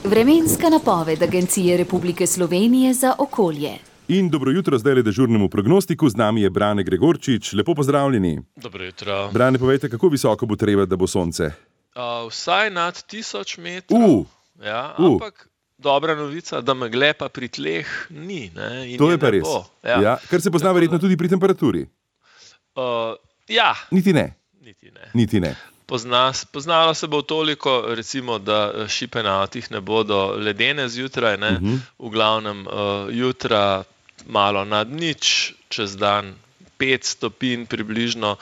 Vremenska napoved Agencije Republike Slovenije za okolje. In dobro jutro zdaj le dežurnemu prognostiku, z nami je Brane Gregorčič. Lepo pozdravljeni. Dobro jutro. Brane, povejte, kako visoko bo treba, da bo sonce? Vsaj nad 1000 metrov. Ampak dobra novica, da megle pa pri tleh ni. In to je pa res. Kar se pozna verjetno tudi pri temperaturi. Niti ne. Niti ne. Poznalo se bo toliko, recimo, da šipe na avtih ne bodo ledene zjutraj, v glavnem jutra malo nad nič, čez dan 5 stopinj približno.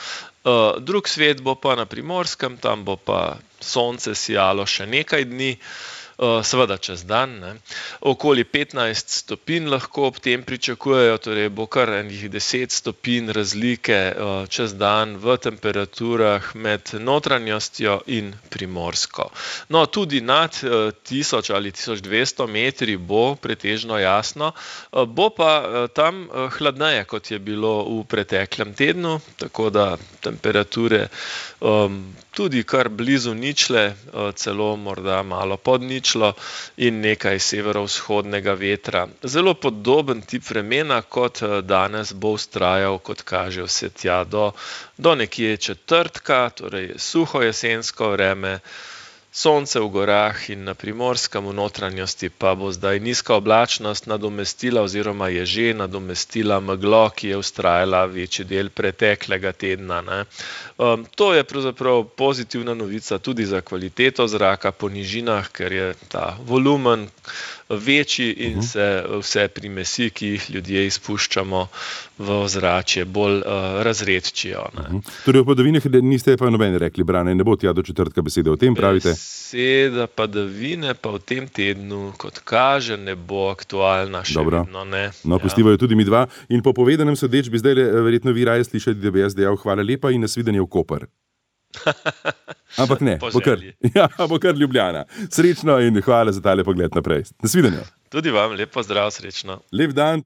Drug svet bo pa na Primorskem, tam bo pa sonce sijalo še nekaj dni, seveda čez dan. Okoli 15 stopinj lahko ob tem pričakujejo, torej bo kar enih 10 stopinj razlike čez dan v temperaturah med notranjostjo in Primorsko. No, tudi nad 1000 ali 1200 metri bo pretežno jasno, bo pa tam hladneje, kot je bilo v preteklem tednu, tako da temperature tudi kar blizu ničle, celo morda malo pod ničlo in nekaj severovzhodnega vetra. Zelo podoben tip vremena kot danes bo vztrajal, kot kaže vse tja do nekje četrtka, torej suho jesensko vreme, sonce v gorah in na Primorskem, v notranjosti pa bo zdaj nizka oblačnost nadomestila oziroma je že nadomestila meglo, ki je vztrajala večji del preteklega tedna. To je pravzaprav pozitivna novica tudi za kvaliteto zraka po nižinah, ker je ta volumen večji in se vse primesi, ki jih ljudje izpuščamo v ozračje, bolj razredčijo. Torej v padavinah niste pa nobeni rekli, Brane, ne bo tja do četrtka besede o tem, pravite? Beseda padavine pa v tem tednu, kot kaže, ne bo aktualna, še vedno ne. No, pustivajo tudi mi dva. In po povedanem sodeč bi zdaj verjetno vi raje slišali, da bi jaz dejal hvala lepa in nasvidenje v Koper. Ampak ne, bo kar Ljubljana. Srečno in hvala za tale pogled naprej. Nasvidenje. Tudi vam, lep pozdrav, srečno. Lep dan.